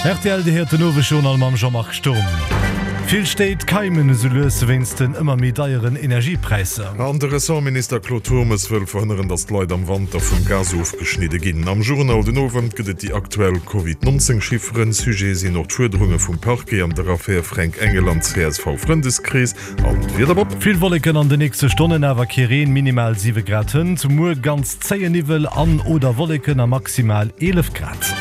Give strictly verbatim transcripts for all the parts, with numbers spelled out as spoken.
Rtl, Dir héiert den Owesjournal mam Jean-Marc Sturm. Vill Stéit keimen esou lues wéinst den ëmmer méi deieren Energiepräisser. An de Ressortminister Claude Turmes wëll verhënneren, datt d'Leit am Wanter vum Gas ofgeschnidde ginn. Am Journal den Owend gëtt et déi aktuell Covid nonzéng Chifferen. Sujet sinn och d'Fuerderunge vum Parquet an der Affär Fränk Engel an C S V-Frëndeskrees. An d'Wieder, Bob? Vill Wolleken an den nächste Stonnen, awer kee Reen, minimal siwe Grad hënt. Muer ganz zéien Niwwel an oder Wolleken a maximal eelef Grad.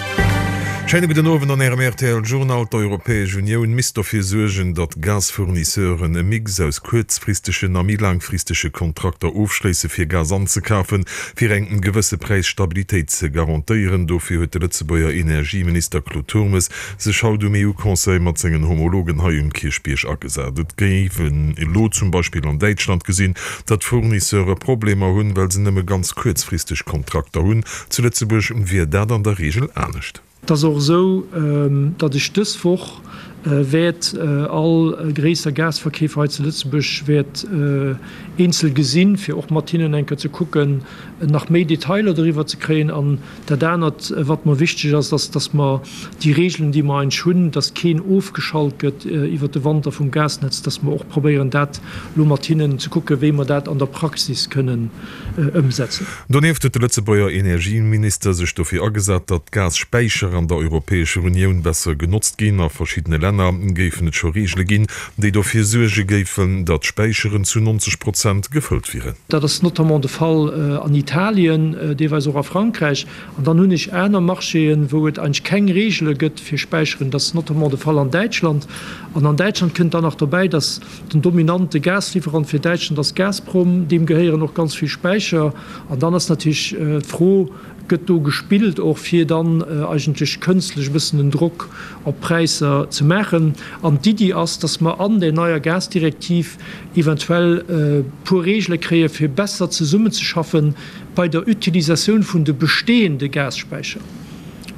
Schéine gudden Owend an Ärem R T L Journal. D'Europäesch Unioun misst dofir suergen, datt Gasfournisseuren e Mix aus kuerzfristegen a méi laangfristege Kontrakter ofschléisse fir Gas anzekafen, fir eng gewësse Präisstabilitéit ze garantéieren. Dofir huet de Lëtzebuerger Energieminister Claude Turmes sech haut um E U-Conseil mat sengen Homologen hei um Kierchbierg agesat. Et géif een elo zum Beispill an Däitschland gesinn, datt Fournisseure Problemer hunn, well se nëmme ganz kuerzfristeg Kontrakter hunn. Zu Lëtzebuerg wier dat an der Reegel anescht. Et ass och esou, datt ech dës Woch wäert all gréisser Gasverkeefer hei zu Lëtzebuerg wäert eenzel gesinn, fir och mat hinnen eng Kéier ze kucken, nach méi Detailer doriwwer ze kréien. An dat anert, wat mer wichteg ass, ass, datt mer déi Regeln, déi mer eigentlech hunn, datt keen ofgeschalt gëtt iwwert de Wanter vum Gasnetz, datt mer och probéieren, dat elo mat hinnen ze kucken, wéi mer dat an der Praxis kënnen ëmsetzen. Donieft huet de Lëtzebuerger Energieminister sech dofir agesat, datt d'Gasspäicher an der Europäescher Unioun besser genotzt ginn. A verschiddene Länner géifen et scho Reegele ginn, déi dofir suerge géifen, datt d'Späicheren zu neunzeg Prozent gefëllt wieren. Dat ass notamment de Fall an Italien, deelweis och a Frankräich. An dann hunn ech aner Marchéen, wou et eigentlech keng Reegele gëtt fir Späicheren. Dat ass notamment de Fall an Däitschland. An an Däitschland kënnt dann nach dobäi, datt den dominante Gaslieferant fir Däitschland ass Gazprom. Deem gehéieren och ganz vill Späicher. An dann ass natierlech d'Fro, Gëtt do gespillt och fir dann eigentlech kënstlech e bëssen den Drock op d'Präisser ze maachen? An d'Iddi ass, datt mer an där neier Gasdirektiv eventuell e puer Reegele kréie fir besser zesummenzeschaffen bei der Utilisatioun vun de bestehende Gasspäicher.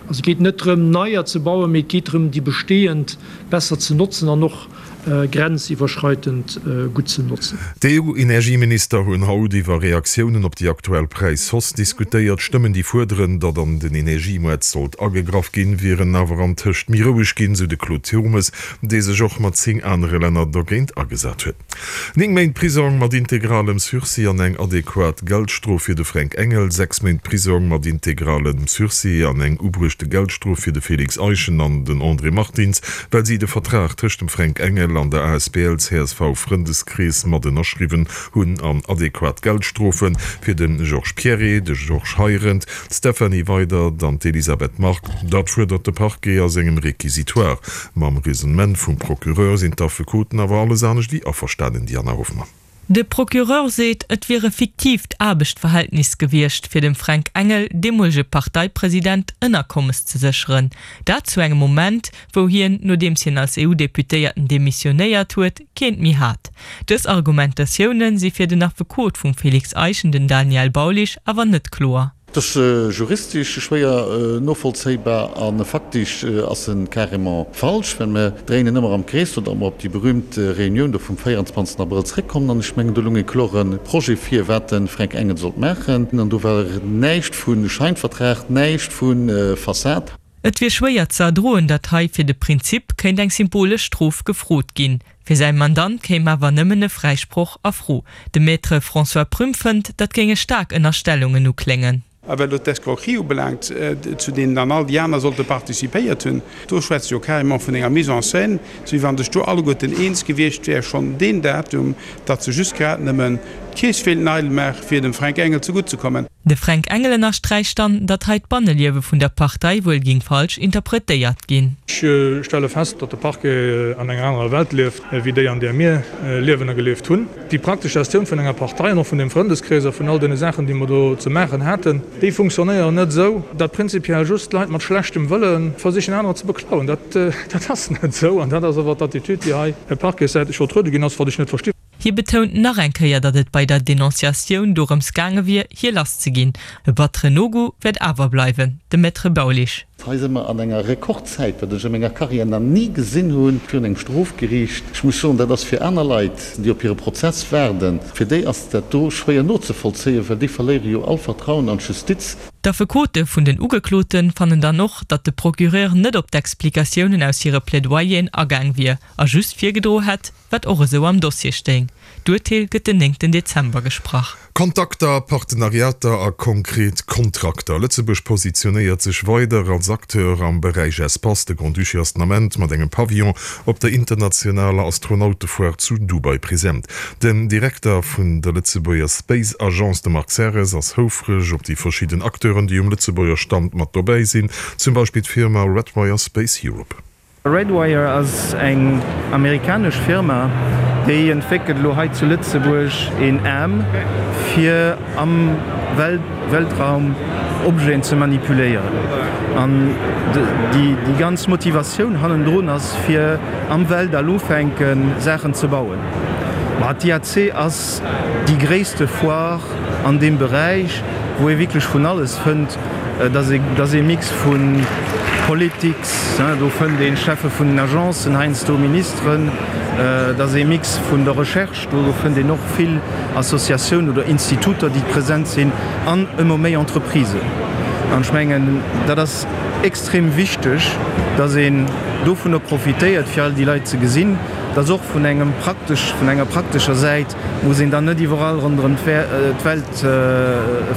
Also et geet net drëm neier ze bauen, mee et geet drëm déi bestehend besser ze notzen an och grenziwwerschreitend gutt ze notzen. D'E U-Energieminister hunn haut iwwer Reaktiounen op déi aktuell Präishausse diskutéiert. Stëmmen, déi fuerderen, datt an den Energiemoart sollt agegraff ginn, wieren awer antëscht méi roueg ginn, sou de Claude Turmes, dee sech och mat zéng anere Länner dogéint agesat huet. Néng Méint Prisong mat integralem Sursis an eng adequat Geldstrof fir de Fränk Engel, sechs Méint Prisong mat integralem Sursis an eng ubruechte Geldstrof fir de Félix Eischen an den André Martins, well si de Vertrag tëscht dem Fränk Engel an der A S B L C S V Frëndeskrees mat ënnerschriwwen hunn, an adequat Geldstrofe fir de Georges Pierret, de Georges Heirendt, d'Stéphanie Weydert an d'Elisabeth Margue. Dat fuerdert de Parquet a sengem Réquisitoire. Mam Raisonnement vum Procureur sinn d'Affekoten awer alles anescht wéi averstanen, Diana Hoffmann. De Procureur seet, et wier e fiktiivt Aarbechtverhältnis gewiescht, fir dem Fränk Engel, deemolege Parteipresident, Ënnerkommes ze sécheren. Dat zu engem Moment, wou hien, nodeems hien als E U-Deputéierten demissionéiert huet, keent méi hat. Dës Argumentatioune si fir den Affekot vum Félix Eischen, den Daniel Baulisch, awer net kloer. Et ass juristesch schwéier novollzéibar a faktesch ass e carrément falsch, well mir dréinen ëmmer am Krees, oder mer op déi berühmt Reunioun do vum véierundzwanzegsten Abrëll zréckkommen. An ech mengen, do loung e klore Projet vir, wat de Fränk Engel sollt maachen. An do war näischt vu Scheinvertrag, näischt vu Fassad. Et wier schwéier ze erdroen, datt hei fir de Prinzip kéint eng symbolesch Strof gefrot ginn. Fir säi Mandant kéim awer nëmmen e Fräisproch a Fro. De Maître François Prüm fënnt, dat géinge staark Ënnerstellungen ukléngen. A wat elo d'Escroquerie ubelaangt, zu deenen dann all déi aner sollte participéiert hunn, do schwätze jo carrément vun enger Mise en scène, sou wéi wann sech do alleguerten eens gewiescht wär, schonn deen Datum, datt se just grad nëmmen d'Keess wéilten eidel maachen, fir dem Fränk Engel zegutt ze kommen. De Fränk Engel ënnersträicht dann, datt hei d'Banneliewe vun der Partei wuel géing falsch interpretéiert ginn. Ech stelle fest, datt de Parquet an enger anerer Welt lieft, wéi déi an där mir liewen a gelieft hunn. Déi praktesch Gestioun vun enger Partei an och vun dem Frëndeskrees a vun all deene Saachen, déi mer do ze maachen haten, déi funktionéieren net esou, datt prinzipiell just Leit mat schlechtem Wëlle versichen anerer ze beklauen. Dat, dat ass net esou an dat ass awer d'Attitude, déi hei parquetsäiteg vertruede ginn ass, wat ech net verstinn. Hie betount nach eng Kéier, datt et bei der Denonciatioun dorëms gaange wier, hie lass ze ginn. E batteren No-Go wäert awer bleiwen, de Maître Baulisch. Hei si mer an enger Rekordzäit, wat ech a menger Karriär nach ni gesinn hunn, virun engem Strofgeriicht. Ech muss soen, dat ass fir aner Leit, déi op hire Prozess waarden, fir déi ass dat do schwéier nozevollzéien, well déi verléiere jo all Vertrauen an d'Justiz. D'Affekote vun den Ugeklote fannen dann och, datt de Procureur net op d'Explikatiounen aus hire Plädoyeren agaang wier a just virgedroe hätt, wat och esou am Dossier stéing. D'Urteel gëtt den néngten Dezember gesprach. Kontakter, Partenariater a konkret Kontrakter, Lëtzebuerg positionéiert sech weider als Acteur am Beräich Espace. De Grand-Duché ass den Ament mat engem Pavillon op der internationaler Astronautefoire zu Dubai present. Den Direkter vun der Lëtzebuerger Space Agence, de Marc Serres, ass houfreg op déi verschidden Acteuren, déi um Lëtzebuerger Stand mat dobäi sinn, zum Beispill d'Firma Redwire Space Europe. Redwire ass eng amerikanesch Firma, déi entwéckelt elo hei zu Lëtzebuerg een Aarm, fir am Weltraum Objeten ze manipuléieren. An déi ganz Motivatioun hannendrun ass, fir am Weltall ufänken, Saachen ze bauen. Ma d'IAC ass déi gréisste Foire an deem Beräich, wou ee wierklech vun alles fënnt. Et ass ee Mix vu Politics, do fënnt een Cheffe vun den Agencen, heiansdo Ministeren. Et ass ee Mix vun der Recherche, do fënnt een och vill Associatiounen oder Instituter, déi present sinn, an ëmmer méi Entreprisen. An ech mengen, dat ass extrem wichteg, datt een dovunner profitéiert, fir all déi Leit ze gesinn. Et ass och vun engem praktesch, vun enger praktescher Säit muss een dann net iwwerall ronderëm d'Welt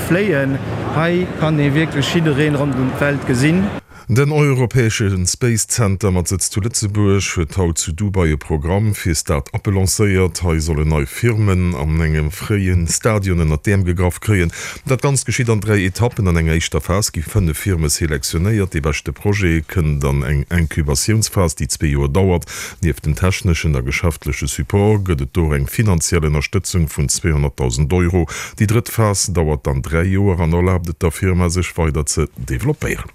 fléien. Hei kann ee wierklech jiddereen ronderëm d'Welt gesinn. Den europäesche Space Center mat Sëtz zu Lëtzebuerg huet haut zu Dubai e Programm fir Start-uppe lancéiert. Hei sollen nei Firmen an engem fréie Stadion ënnert d'Äerm gegraff kréien. Dat Ganzt geschitt an dräi Etappen. An enger éischter Phas gi fënnef Firme selektionéiert. Dee beschte Projet kënnt an eng Inkubatiounsphas, déi zwee Joer dauert. Nieft dem techneschen a geschäftleche Support gëtt et do och eng finanziell Ënnerstëtzung vun zweehonnertdausend Euro. Déi drëtt Phas dauert dann dräi Joer an erlaabt et der Firma, sech weider ze developpéieren.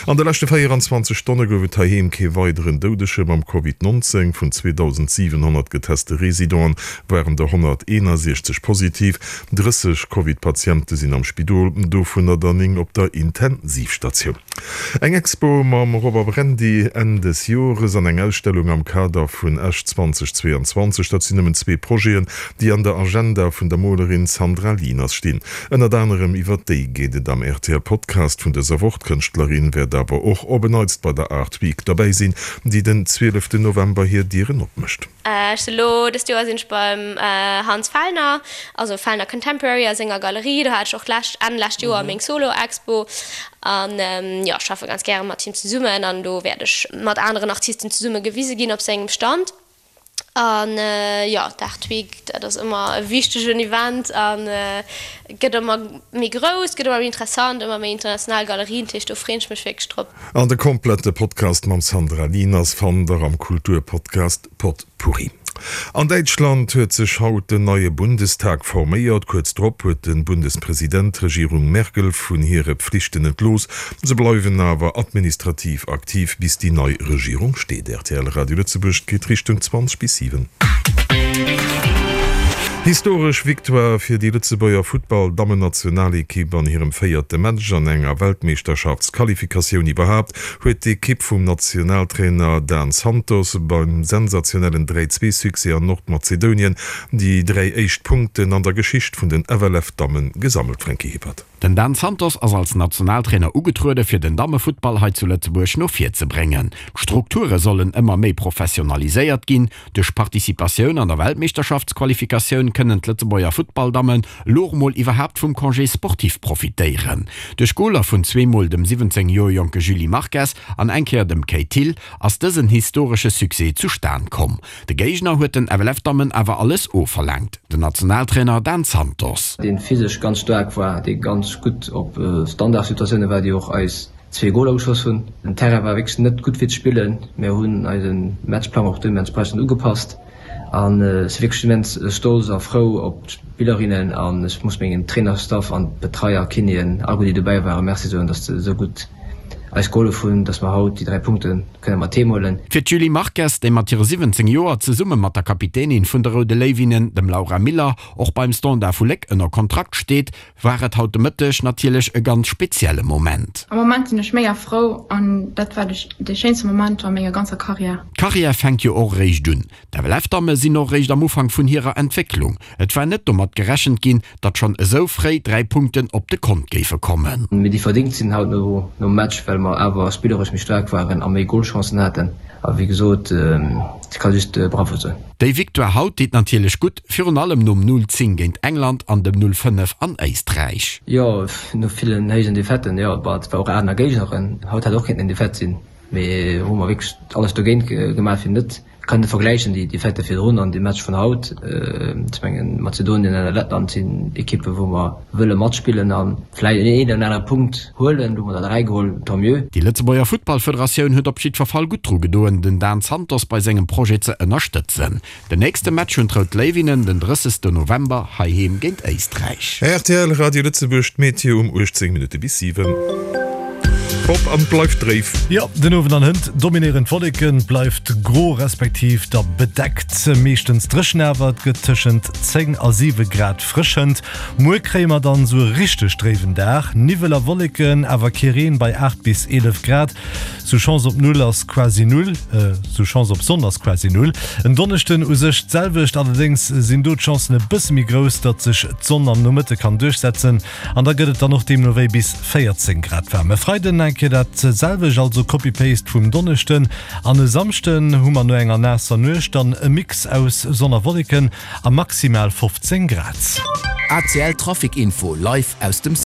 An de leschte véieranzwanzeg Stonne gouf et heiheem kee weideren Doudege mam Covid nonzéng. Vun zweedausendsiwenhonnert geteste Residenten waren der honnerteenasiechzeg positiv. Drësseg Covid-Patiente sinn am Spidol, dovunner der néng op der Intensivstatioun. Eng Expo mam Robert Brendy Enn des Jores an eng Ausstellung am Kader vun Esch zweitausendzweiundzwanzeg, dat sinn nëmmen zwee Projeten, déi an der Agenda vun der Molerin Sandra Lieners stinn. Ënnert anerem iwwer déi geet et am R T L Podcast vun dëser Woch. D'Kënschtlerin wäert awer och op en Neits bei der Art Week derbäi sinn, déi den zwieleften November hir Dieren opmécht. Ech sinn elo, dëst Joer sinn ech beim Hans Fellner, also Fellner Contemporary a senger Galerie. Do hat ech och d'lescht, Enn lescht Joer meng Solo-Expo. An jo, ech schaffe ganz gäre mat him zesummen an do wäert ech mat aneren Artisten zesumme gewise ginn op sengem Stand. An jo, d'Art Week, dat ass ëmmer e wichtegen Event a gëtt ëmmer méi grouss, gëtt ëmmer méi interessant, ëmmer méi international Galerien, dat heescht do freen ech mech wierklech drop. An de komplette Podcast mam Sandra Lieners fannt der am Kulturpodcast Potpourri. An Däitschland huet sech haut den neie Bundestag forméiert. Kuerz drop huet de Bundespresident d'Regierung Merkel vun hire Pflichten entlooss. Se bleiwen awer administrativ aktiv, bis déi nei Regierung steet. Rtl Radio Lëtzebuerg, et geet Richtung zwanzeg bis siwen. Historesch Victoire fir déi Lëtzebuerger Futtball-Dammennationalekipp an hirem véierte Match an enger Weltmeeschterschaftsqualifikatioun iwwerhaapt huet d'Ekipp vum Nationaltrainer Dan Santos beim sensationellen dräi-zwee-Succès an Nordmazedonien déi dräi éischt Punkten an der Geschicht vun den F L F-Damme gesammelt. Franky Hippert. Den Dan Santos ass als Nationaltrainer ugetruede fir den Dammefuttball hei zu Lëtzebuerg no vir ze bréngen. D'Strukture sollen ëmmer méi professionaliséiert ginn. Duerch Participatioun an der Weltmeeschterschaftsqualifikatioun kënnen d'Lëtzebuerger Futtballdammen lo mol iwwerhaapt vum Congé sportif profitéieren. Duerch Goler vun zweemol dem siwwenzéng Joer jonke Julie Marques an eng Kéier dem Kate Thill ass dësen historesche Succès zustan komm. De Géigner huet den F L F-Dammen awer alles ofverlaangt. Den Nationaltrainer Dan Santos. Dee physesch ganz staark war, dee ganz gutt op Standardsituatioune war, déi och eis zwee Goler geschoss hunn. Den Terrain war wierklech net gutt fir ze spillen. Mir hunn eise Matchplang och deementsprechend ugepasst an ech si wierklech immens stolz a frou op d'Spillerinnen an ech muss mengem Trainerstaff an d'Betreier, Kinéen, all déi dobäi waren, Merci soen, datt se esou gutt eis gehollef hunn, dass mer haut déi dräi Punkte kënne mat heem huelen. Fir d'Julie Marques, déi mat hire siwwenzéng Joer zesumme mat der Kapitänin vun de Roude Léiwinnen, dem Laura Miller, och beim Standard vu Léck ënner Kontrakt steet, war et haut de Mëtteg natierlech e ganz spezielle Moment. Am Moment sinn ech mega frou an dat war de schéinste Moment a menger ganzer Karriär. D'Karriär fänkt jo och eréischt un. D'FLF-Damme sinn och eréischt am Ufank vun hirer Entwécklung. Et war net domat gerechent ginn, datt schonn esou fréi dräi Punkten op de Kont géife kommen. Mee déi verdéngt sinn haut nom Match, well mer awer spilleresch méi staark waren a méi Golchancen haten. A wéi gesot, ech ka just Bravo soen. Déi Victoire haut deet natierlech gutt, virun allem nom null zéng géint England an dem null fënnef an Éisträich. Jo, no villen héijen Defaiten, jo, bon, et war och aner Géigneren. Haut hätt och kéinten en Defaite sinn, mee hu mer wierklech alles dogéint gemaach, fir net Kann net vergläichen déi Defaite virdrun an dee Match vun haut. Ech mengen Mazedonien an Lettland sinn Ekippe wou mer wëlle matspillen a vläicht een oder anere Punkt huelen. Elo hu mer der dräi geholl, tant mieux. Déi Lëtzebuerger Futtballfederatioun huet op jiddwer Fall gutt dru gedoen, den Dan Santos bei sengem Projet ze ënnerstëtzen. Den nächste Match hunn d'Rout Léiwinnen den drëssegste November heiheem géint Éisträich. Rtl Radio Lëtzebuerg, d'Meteo um uechtzéng Minutte bis siwen. Op an et bleift dréif. Jo, den Owend an hënt dominéieren d'Wolleken, et bleift gro respektiv da bedeckt, meeschtens dréchen awer. Et gëtt tëschent zéng a siwe Grad frësch hënt. Muer kréie mer dann esou e richteg dréiwen Dag, Niwwel a Wolleken, awer kee Reen bei aacht bis eelef Grad. Sou Chance op Null ass quasi null, sou Chance op Sonn ass quasi null. En Donneschden u sech d'selwecht, allerdéngs sinn do d'Chancen e bësse méi grouss, datt sech d'Sonn am Nomëtte kann duerchsetzen an da gëtt et dann och deemno wéi bis véierzéng Grad waarm. E Freiden eng Kéier dat selwecht, also Copy-Paste vum Donneschden. An e Samschden hu mer no enger naasser Nuecht dann e Mix aus Sonn a Wolleken a maximal fofzéng Grad. A C L Trafic Info live aus dem